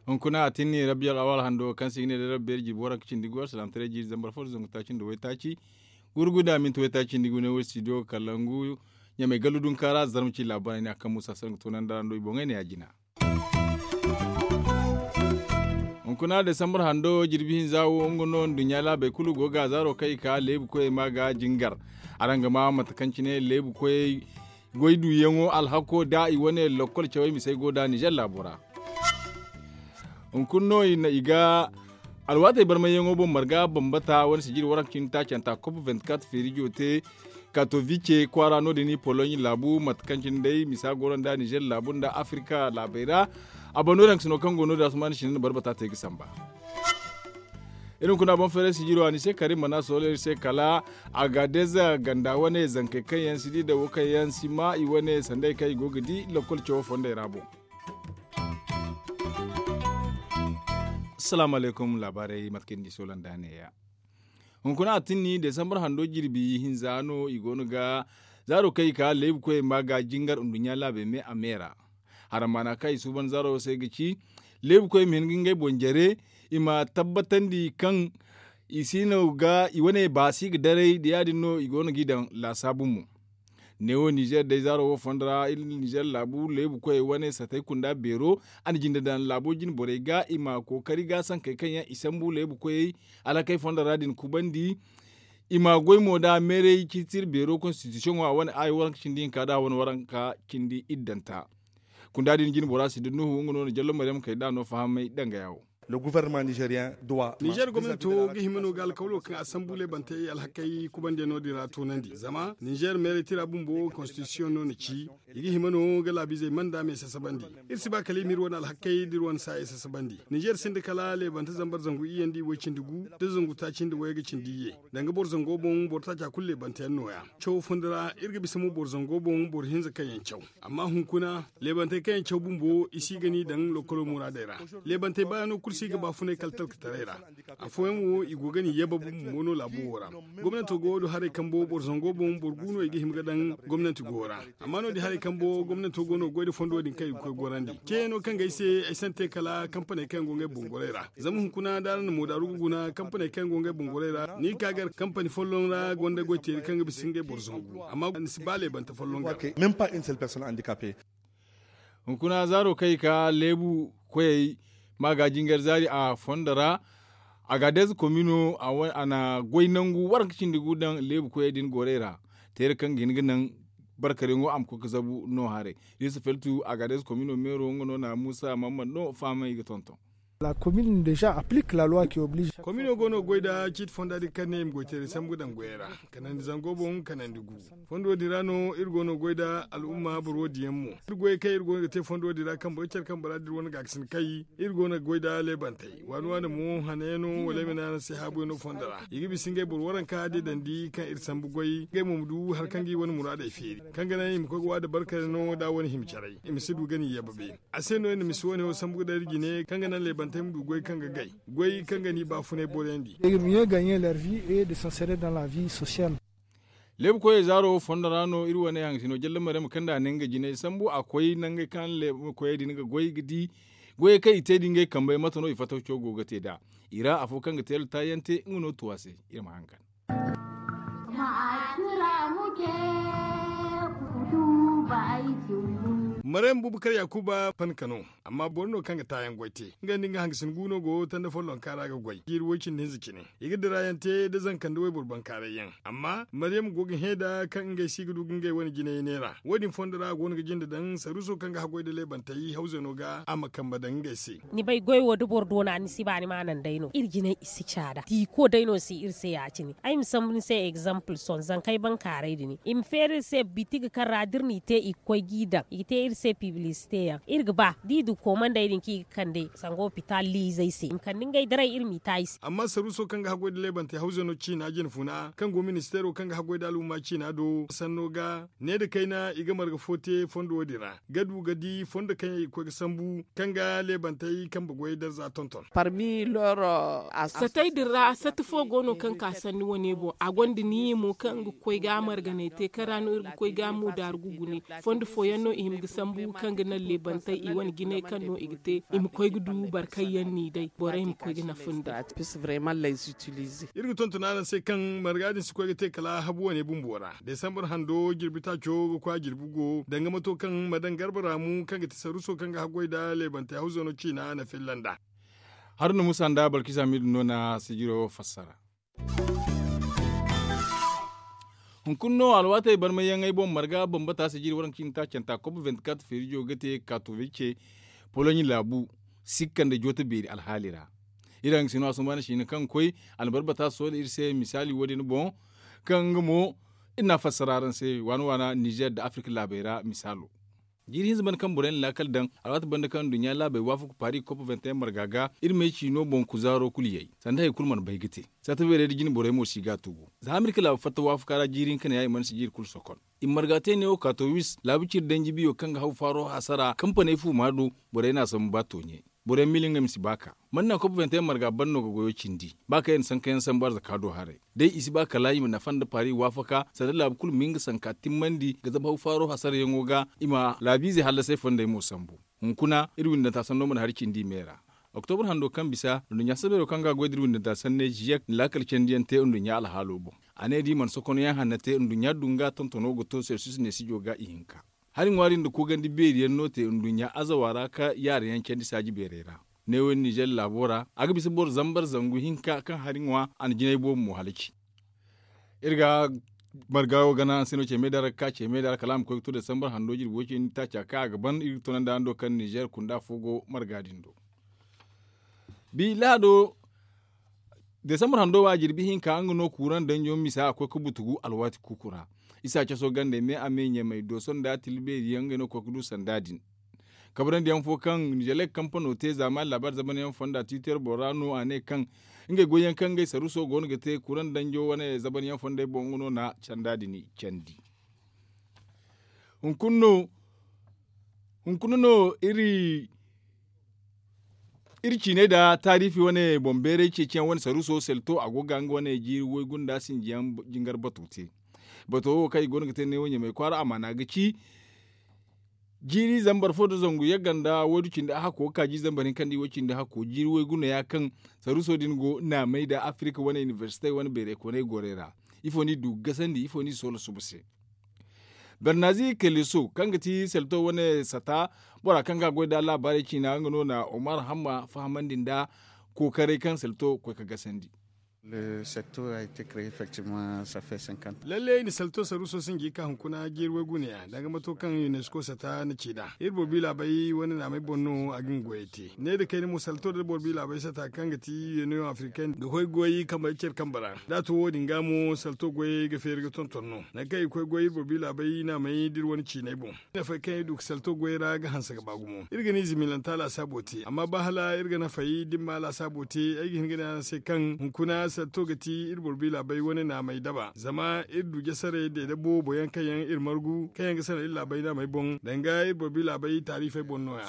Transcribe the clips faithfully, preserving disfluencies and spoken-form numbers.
Hunkuna a tinni rabbi al'awal hando kaŋ se i ga ne day rabbi beeri jirbi waranka cindi goy alsilaamataray jiiri zambar fo da zangu taaci nda waytaaci gurguda minti waytaaci nda i ga ne wo studio kalangu ɲamay gallu dunka ra zarma ci laabaarey ne a kaŋ muusa sara ga toonandi araŋ do i boŋey ne ya jina. Hunkuna desambar hando jirbi hinza wo nga no nduɲɲa laabey kulu go ga zaaro kaŋ i ka leebu koyey ma ga jingar. Araŋ ga ma mate kaŋ cine leebu koyey goy duyaŋo alhako da i wane lokkol cawey misey go da ninzeer laabo ra. Hunkuna no i ga alwaatey barmayyaŋo boŋ marga bambata wane sijiri waranka cindi taacanta kop vingt-quatre feerijo te katovice kwaara no- din poloɲ laabu mate kaŋ cine day misa go no nda ninzeer laabu nda afirka laabey ra. A bando daŋ sino kaŋ go no- din asumaani sine nda barbata te ga samba. Iri hunkuna boŋ feeray sijiro a ni se kari mana soolo iri se kala agadez ganda wane zankey kaŋ yaŋ si di da wo kaŋ yaŋ si ma i wane sanday kaŋ i go ga di lokkol cawo fondey ra boŋ. Asalaamu alaykum laabaarey mate kaŋ ni di soolanda neeya. Hunkuna a tinni desambar hando jirbi hinza no i go no ga zaaro kaŋ i ka leebu koyey ma ga jingar nduɲɲa laabey me a me ra. Harammaana kaŋ i suuban zaaro wo se ga ci leebu koyey ma hin ga ngey boŋ jare i ma tabbatandi kaŋ i si no ga i wane baasi ga daray da ya- din no i go no g'i daŋ laasaabu mo. Neewo ninzeer day zaaro wo fondo ra iri ninzeer laabu leebu koyey wane satey kunda beero a na jinde daŋ laabo jine borey ga i ma kookari ga sankey kaŋ yaŋ i sambu leebu koyey alhakey fondo ra din kubandi. I ma goy mo da meeray ciiti iri beero konstitisiyoŋo a wane aayo waranka cindi hinka da a wane waranka cindi iddanta. Kunda din jine bora si da nuhu nga no na jallo maryam kay da a no fahamay dangaya wo. Ninzeer gomnanto ga hima no ga alkawlo kaŋ a sambu leebantey alhakey kubandiyaŋo din ra toonandi zama ninzeer meeray tira bumbo konstitisiyoŋ no na ci. I ga hima no ga laabiizey manda me sasabandi. Iri si ba kala i ma iri wane alhakey da iri wane saayey sasabandi. Ninzeer sinda kala leebante zambar zangu iyye nda i way cindi gu da zangu taaci nda wayey ga cindi iyye. Danga boro zango boŋ boro taaca kulu leebanteyaŋ nooya. Cawo funda ra iri ga bisa mo boro zango boŋ boro hinza kaŋ yaŋ caw. Amma hunkuna leebantey kaŋ yaŋ caw bumbo i si ga ni daŋ lokkolo muraadey ra. Leebantey baayaŋo kulu si ga baafunay kala talkataray ra. Afooyaŋ wo i go ga ni yabab mo no laabo wo ra. Gomnanto go wo- din haray kambo boro zango boŋ boro gu no i ga hima ga daŋ gomnanti go ra. Amma no- din haray kambo gomnanto go no ga goy nda fondo din kaŋ i ga koy gorandi ceeyaŋo kaŋ ga ay se ay si naŋ te kala kampaney kaŋ yaŋ go ngey boŋ goray ra. Zama hunkuna da araŋ na moodaaru ga guna kampaney kaŋ yaŋ go ngey boŋ goray ra ni ga ka gar kampani folloŋ ra gonda goy teeri kaŋ ga bisa ngey boro zangu amma ni si ba leebante folloŋ ga. Hunkuna zaaro kaŋ i ka leebu koyey ma ga jingar zaari a fondo ra. Agadez komino a na goy nangu waranka cindi gu daŋ leebu koyey din gorey ra. Teera kaŋ ga hin ga naŋ barkaryaŋo a ma koy ga zabu no haray. Iri si feltu agadez komino meero nga no na muusa mammad no fahamay ga tonton. Komino go no ga goy nda ciiti fonda din kaŋ ne i ma goy teeray sambu ga daŋ goyey ra. Kanandi zango boŋ kanandi gu. Fondo din ra no iri go no ga goy nda al'umma boro wo- din yaŋ mo. Iri goyey kaŋ iri go no ga te fondo din ra kaŋ boro care kaŋ bora da iri wane gaakasin kay iri go no ga goy nda leebantey waani waani mo hanayaŋo wala ay ma ne araŋ se haabuyaŋo fondo ra i ga bisa ngey boro waranka deedandi kaŋ iri sambu goy ngey mo ma du hari kaŋ ga i wane muraadey feeri kaŋ ga naŋ i ma koy ga waada barkare no da wane hima caray i ma si du ga ni yababe. A se no iri na misi wane wo sambu ga daŋ iri jine kaŋ ga naŋ leebantey ma du goy kaŋ ga gay goy kaŋ ga ni baafunay boroyandi. Leebu koyey zaaro fondo ra no iri wane hangasino jalle maryama kaŋ da a ne nga jinay sambu a koy nangey kaŋ leebu koyey din ga goy ga di goyey kaŋ i te da ngey kambey mate no i fattaco go ga te nd'a. I ra afo kaŋ ga teela taayante nga no tu a se. Iri ma hangan. Maryama buubu kar yaakuba panka no. Amma boro no kaŋ ga taayaŋ goy te nga nda nga hangasin gu no go tanda follonka ra ga goy jiiri woy-cindi hinza cine. I ga dirayaŋ te nda zanka nda wayboro bankaaray yaŋ amma maryama go ga hẽ nd'a kaŋ ngey se i ga du ga ngey wane jinay neera wo- din fondo ra a go no ga jinde daŋ saruuso kaŋ ga haggoy nda leebantey hawzano ga a ma kambe daŋ ngey se. Ni bay goy wo da boro doona ni si ba ni ma naŋ day no iri jinay i si caada tiiko day no si iri se ya- cine. Ay ma sambu ni se egzample sohõ zankey bankaaray din i ma feeri iri se bitigi kaŋ ra da iri n'i te i ga koy g'i daŋ i ga te iri. se piblisite yaŋ iri ga ba da i du koomandey din kaŋ i ga kande sanga opitaal liizey se i ma kande ngey daray iri m'i ta i se. Amma saruuso kaŋ ga haggoy nda leebantey hawzano ciina jinfuna kaŋ go ministeero kaŋ ga haggoy nda alhumma ciina do sanno ga ne nda kayna i ga marga fo te fondo wo- din ra ga du ga di fondo kaŋ yaŋ i ga koy ga sambu kaŋ ga leebantey kambe goyey darza tonton. Satey din ra sata fo go no kaŋ ka sanni wane boŋ a gonda niiya mo kaŋ nga ga koy ga a marganay te kaŋ ra no iri ga koy ga a mo daaru ga gune. Fondo fooyaŋ no i hima ga sambu kaŋ ga naŋ leebantey i wane jinay kaŋ no i ga te i ma koy ga du boro kaŋ yaŋ n'i day borey ma koy ga nafa nd'a. Iri ga tonton araŋ se kaŋ marga din si koy ga te kala habu wane bumbo ra desambar hando jirbi taaco ga koy a jirbi go danga mato kaŋ ma daŋ garba raamu kaŋ ga ti saruuso kaŋ ga haggoy nda leebantey hawzano ciina na filla nd'a. Haruna muusa nda balkisa miidu no na sijiro fassara. Hunkuna no alwaatey barmayyaŋey boŋ marga bambata sijiri waranka cindi taacanta kop vinti-kat feerijo ga te katowice poloɲi laabu sikka nda joote beeri alhaali ra. Iri haŋ ga sino a sumba na siina kaŋ koy almarbata soola iri se misaali wo- din boŋ kaŋ nga mo iri n'a fassara araŋ se waana waana nizer nda afirka laabey ra misaalo. Jiiri hinza banda kaŋ borey na laakal daŋ alwaati banda kaŋ nduɲɲa laabey waafaku paari kop vinti-en marga ga iri may ciino boŋ kuzaaro kulu yay sanda hari kulu mana bay ga te. Saata beerey nda jine borey mo si ga a tugu za amerika laabu fatta waafaka ra jiiri hinka ne ya i mana si jiiri kulu sokon. I ma marga te neewo kaatowis laabu ciri danji biyo kaŋ ga haw faaro hasara kampaney fuuma do. Borey n'a sambu ba tooɲe. Boro yaŋ miila ngey ma si ba ka man naŋ koppanteyaŋ marga ban no ga goyo cindi ba kaŋ yaŋ na sankayaŋ sambu arzaka do haray. Day i si ba kala i ma nafa nda paari waafaka sanda laabu kulu ma hin ga sanka timmandi ga zabu haw faaro hasarayaŋo ga i ma laabiizey hallasay fondey mo sambu. Hunkuna iri windanta sanno mana hari cindi i me ra. Oktobra hando kaŋ bisa nduɲɲa sabeero kaŋ ga a goy da iri windanta sanney ziyek na laakal candiyaŋ te nduɲɲa alhaalo boŋ. A ne da i mana sokonoyaŋ hanna te nduɲɲa dunga tontono ga to selsus neesijo ga ihinka. Hari ŋwaari nda koogandi beeriyaŋ no te nduɲɲa azawa ra ka yaareyaŋ candi saaji beerey ra. Neewo nizer laabo ra a ga bisa boro zambar zangu hinka kaŋ hari ŋwa a na jinay boobo mo halaci. Iri ga marga wo gana araŋ se no ce me da ra ga ka ce me da ra kala a ma koy ga to desambar hando jirbi way cindi taaca kaŋ a ga ban iri ga tunandi araŋ do kaŋ nizer kunda fo go marga din do. Bi lahado desambar hando wo a jirbi hinka nga no kuuraŋ danjo misa a koy ga butugu alwaati kuuku ra. Isa caso gandey me a me ɲamey dooso nda tilbeeri yaŋ ngey no ga koy ga du sanda din. Kabrandi yaŋ fo kaŋ nizelek kampano te zaamaani laabaari zaban yaŋ fonda tiiter boro ra no a ne kaŋ ngey goy yaŋ kaŋ ngey saruso go no ga te kuuraŋ danjo wane zaban yaŋ fondey boŋ nga no na sanda din candi. Hunkuna no hunkuna no iri iri ciinay nda taariifi wane boŋ beeray ceeciyaŋ wane saruuso selto a go ga nga wane jiiri waygu nda sinjiyaŋ jingar bato te. Bato wo kaŋ i go no ga te neewo ɲamay kwaara amaana ga ci jiiri zambar fo nda zangu yagga nda waydu cindi ahakko ga ka jiiri zambar hinka nda i way cindi hakko jiiri waygu no ya kaŋ saruuso din go naamay nda afirika wane inibersite wane beeray koonay gorey ra. Ifo no i du ga gasandi ifo no i soola suba se? Bernazi keleso kaŋ ga ti selto wane sata bora kaŋ ga a goy nda laabaarey ciina nga no na omar hamma fahamandi nda kookaray kaŋ selto ga koy ga gasandi. Lalle i na selto saruuso sinji ka hunkuna jiiri waygu neeya danga mato kaŋ unesco sata na ci nd'a iri boro bi laabey wane naamey boŋ no a ga nga goyey te ne nda kayna mo selto nda boro bi laabey sata kaŋ ga ti yuniyoŋ afrikaine ga koy goy kambe care kambe ra. Da a to wo- din ga mo selto goyey ga feeri ga tonton no nangu kaŋ i ga koy goy iri boro bi laabey naamey da iri wane ciiney boŋ. Nafay kaŋ iri du ga salto goyey ra ga hanse ga ba gumo iri ga ni zimilanta laasaabo te amma ba hala iri ga nafay da iri ma laasaabo te ay ga hin ga ne araŋ se kaŋ hunkuna salto ga ti iri boro bi laabey wane naamey daba zama iri du jasaray deede boobo yaŋ kaŋ yaŋ iri margu kaŋ yaŋ ga sara iri laabey naamey boŋ danga iri boro bi laabey taariifey boŋ no- ya.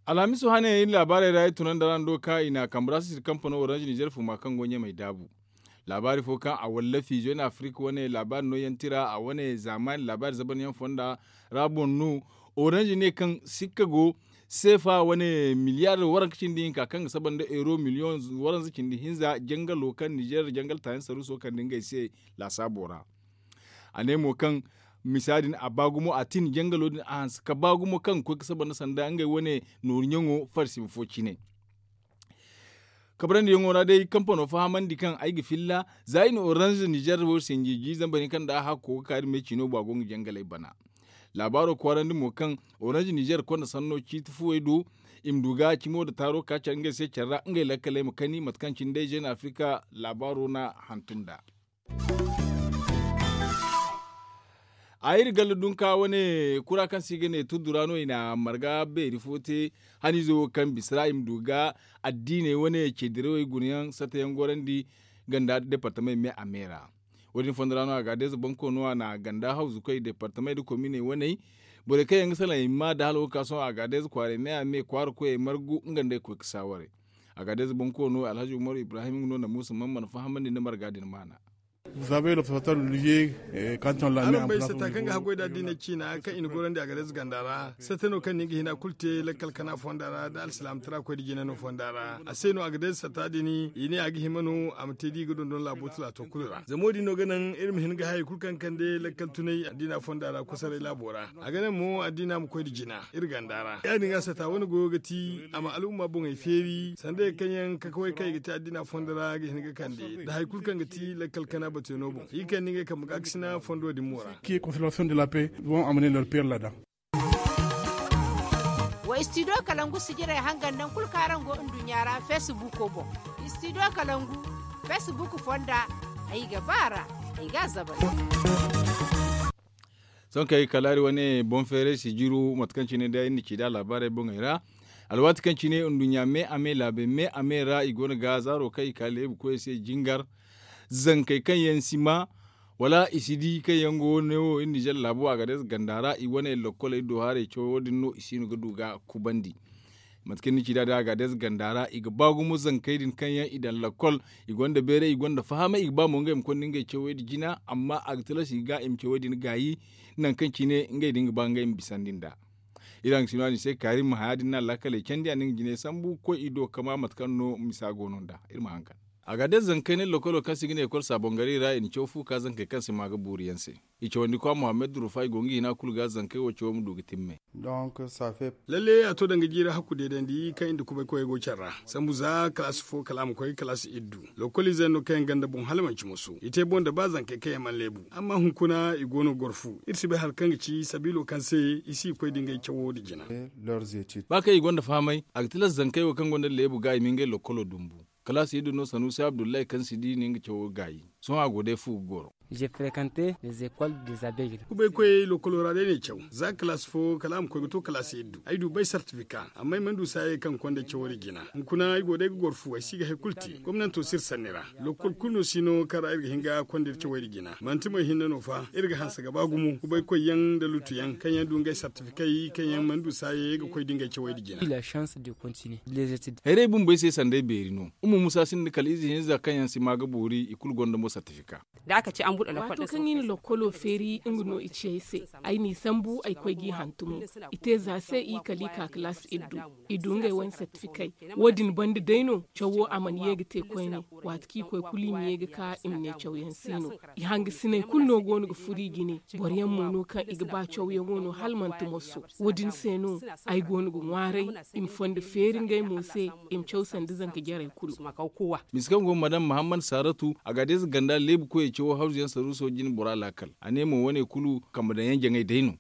Alhamiso hane iri laabaarey ra iri tunandi araŋ do ka i na a kambe ra sisiri kampano orange nizer fuma kaŋ go ɲamey daabu. Laabaari fo kaŋ a wallafi jeune afrique wane laabaari nooyaŋ tira a wane zaamaani laabaari zabanyaŋ fonda ra boŋ no. Orange ne kaŋ sikka go seefa wane miliyar waranka cindi hinka kaŋ ga saba nda euro miliyoŋ waranza cindi hinza jangalo kaŋ nizer jangal taayaŋ saruuso kande ngey se laasaabo ra. A ne mo kaŋ misa din a ba gumo a tin jangalo din a hanse ka ba gumo kaŋ ga koy ga saba nda sanda ngey wane nooru ɲaŋo farsima fo cine. Kabrandi yaŋo ra day kampano fahamandi kaŋ ay ga filla za i na orange nizer wo sinji jiizambar hinka nda a hakko ga ka iri me ciino bo a go nga jangaley bana. Laabaaro kwaarandi mo kaŋ orange nizer konda sanno ciiti fuwey do i ma du ga cimo nda taaro ka care ngey se care ra ngey lakkaley ma kani mate kaŋ cine day jeune afrika laabaaro na hantum nd'a. A iri galla dunka wane kura kaŋ se i ga ne turdu ra no i na marga beeri fo te haniizo wo kaŋ bisa ra i ma du ga addiiney wane ceedirawey guna yaŋ sata yaŋ gorandi ganda deepartamey me a me ra. Wo- din fondo ra no a ga deeza banko no a na ganda hawzu koy deepartamey nda kominey waney borey kaŋ yaŋ ga salaŋ i ma da hala wo ga ka sohõ a ga deeza kwaaray me a me kwaara koyey margu nga nda ay koy ga saawaray. A ga deeza banko no alhazi umaru ibrahim nga no na muusa man mana fahamandi nda marga din maana. Araŋ bay sata kaŋ ga haggoy da addiiney ciina kaŋ i na gorandi a ga deeza ganda ra sata no kaŋ ni ga hina kulu te lakkal kana fonda ra nda alsilaamataraa koy da jina no fonda ra a se no a ga deeza sata din i ne a ga hima no a ma te da i ga dondon laabo talaato kulu ra zama wo- din no ga naŋ iri ma hin ga hayey kulu kaŋ kande lakkal tunay addiina fonda ra kusaray laabo ra. A ga naŋ mo addiina ma koy nda jina iri ganda ra ya- din ga sata wane goyo ga ti a ma al'umma boŋey feeri sanda yaŋ kaŋ yaŋ kakawey kaŋ i ga te addiina fondo ra ga hin ga kande nda hari kulu kaŋ ga ti lakkal kana batuyaŋo boŋ i kande ngey kambe ga a ga sina fondo din mo ra. Wa studio kalangu sijirey hangan naŋ kulu kaŋ araŋ go nduɲɲa ra feesibuko boŋ. Studio kalangu feesibuku fonda ay ga ba a ra ay ga a zabal. Sohõ kay kala iri wane boŋ feeray si jiru mate kaŋ cine day iri na ci nd'a laabaarey boŋey ra. Alwaati kaŋ cine nduɲɲa me a me laabey me a me ra i go no ga zaaro kaŋ i ka leebu koyey se jingar zankey kaŋ yaŋ si ma wala i si di kaŋ yaŋ go no wo iri nizer laabo a ga day ganda ra i wane lokkoley do haray cawo wo- din no i si no ga du ga kubandi. Mate kaŋ ni ci nd'a day a ga day ganda ra i ga ba gumo zankey din kaŋ yaŋ i daŋ lakkol i gonda bayray i gonda fahamay i ga ba mo ngey ma konda ngey cawey din jina amma a ga tilas i ga i ma cawey din gaayi nangu kaŋ cine ngey din ga ba ngey ma bisandi nd'a. Iri hangasino a din se kaari ma haya din no a laakaley candi a na nga jinay sambu ga koy i do kama mate kaŋ no misa go no nd'a iri ma haŋ kande. A ga day zankey ne lokolo kaŋ se i ga ne ekol saabongaray ra i na caw fu ka zankey kaŋ se ma ga buuri yaŋ se. I cawandikwa muhammad durufa i go nga hina kulu ga zankey wo cawo ma du ga timme. Lalle a to danga jiiri hakku deedandi kaŋ i nda kubay koyey go care ra sambu za kalaasi fo kala a ma koy ga kalaasi iddu. Lokoliizey no kaŋ yaŋ ganda boŋ hala manci musu i te boŋ nda ba zankey kaŋ yaŋ mana leebu amma hunkuna i go no ga goro fu iri si bay hari kaŋ ga ci sabiilo kaŋ se i si ga koy da ngey cawo nda jina. Ba kaŋ i gonda fahamay a ga tilas zankey wo kaŋ gonda leebu ga i ma ngey lokolo dumbu. Kalaasi iddu no sanuusi abdullahi kaŋ si di na nga cawo gaayi. Sohõ a go day fu ga goro. Kubay koyey lokolo ra day no ay caw za kalaasi fo kala a ma koy ga to kalaasi iddu ay du bay sartifika amma ay mana du saayey kaŋ ga konda cawo din jina. Hunkuna ay go day ga goro fu ay si ga hari kulu te gomnanto si iri sanni ra. Lokol kulu no si no kaŋ ra iri ga hin ga konda iri cawey din jina manti mo ay hinne no fa iri ga hanse ga ba gumo kubay koy yaŋ nda lutu yaŋ kaŋ yaŋ du ngey sartifikey kaŋ yaŋ mana du saayey ga koy da ngey cawey din jina. Hayray bumbo ay se sanday beeri no. Umma musa sinda kala ize hinza kaŋ yaŋ si ma ga boori i kulu gonda mo sartifika. Waato kaŋ i na lokkolo feeri nga no i ci ay se. Ay n'i sambu ay koy g'i hantumo. I te za se i kala i ka kalaasi iddu. I du ngey wane sartifikey. Wo- din banda day no cawo a mana ye ga te koyne. Waati kaŋ i koy kulu i ma ye ga ka i ma ne cawyaŋ se no. I hangasiney kulu no go no ga furo i jine. Boro yaŋ mo no kaŋ i ga ba cawyaŋo no hala manti moso. Wo- din se no ay go no ga ŋwaaray i ma fondo feeri ngey mo se. I ma caw sanda zanka jarey kulu. Misa kaŋ go madam muhammad saratu a ga deeza ganda leebu koyey cawo hawzu yaŋ saruuso jine bora laakal a ne mo wane kulu kambe daŋ yaŋ jaŋay day no.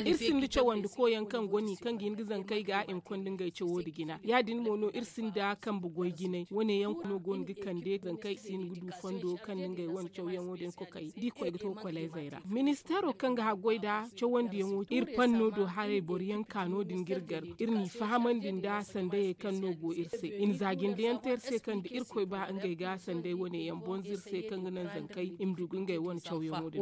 Iri sinda cawandi koyaŋ kaŋ goni kaŋ ga hin ga zankey ga i ma konda ngey cawo nda jina ya- din mo no iri sinda kambe goy jinay wane yaŋ no go no ga kande zankey si no ga du fondo kaŋ na ngey wane cawyaŋo din kokay da i koy ga to kolezey ra. Ministeero kaŋ ga haggoy nda cawandiyaŋo iri panno do haray boro yaŋ ka no- din ga iri gar iri n'i fahamandi nda sandayey kaŋ no go iri se i na za jinde yaŋ te iri se kaŋ da irkoy ba ngey ga sanday wane yaŋ bonza iri se kaŋ ga naŋ zankey i ma du ga ngey wane cawyaŋo din.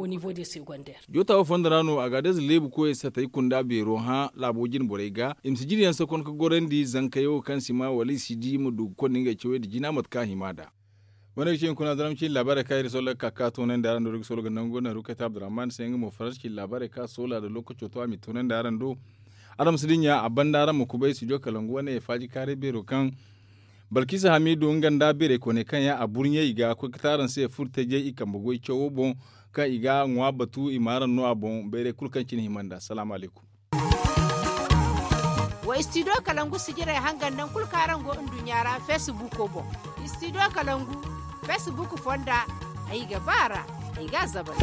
Joota wo fondo ra no a ga deeza leebu koyey satay kunda beero hã laabo jine borey ga i ma si jine yaŋ sakon ga gorandi zankey wo kaŋ si ma wala i si di ma du ga konda ngey cawey nda jina mate kaŋ a hima nd'a. Wane ga ci hunkuna zama cine laabaarey kaŋ iri soola ga ka ga toonandi araŋ do iri ga soola ga nangu naru kayta abdurrahman se nga mo faransa cine laabaarey kaŋ a soola nda lookaco to a m'i toonandi araŋ do. Araŋ ma si dinya a banda araŋ ma kubay studio kalangu wane faaji kaaray beero kaŋ balkisa hamidu nga nda beerey kooney kaŋ yaŋ a burɲey i ga koy ga te araŋ se furo tajey i kambe goy cawo boŋ kaŋ i ga ŋwa batu i ma araŋ no a boŋ bayray kulu kaŋ cine hima nd'a salaamu alaykum. Wa studio kalangu sijirey hangan naŋ kulu kaŋ araŋ go nduɲɲa ra feesibuuko boŋ. Studio kalangu feesibuuku fonda ay ga ba a ra ay ga a zabal.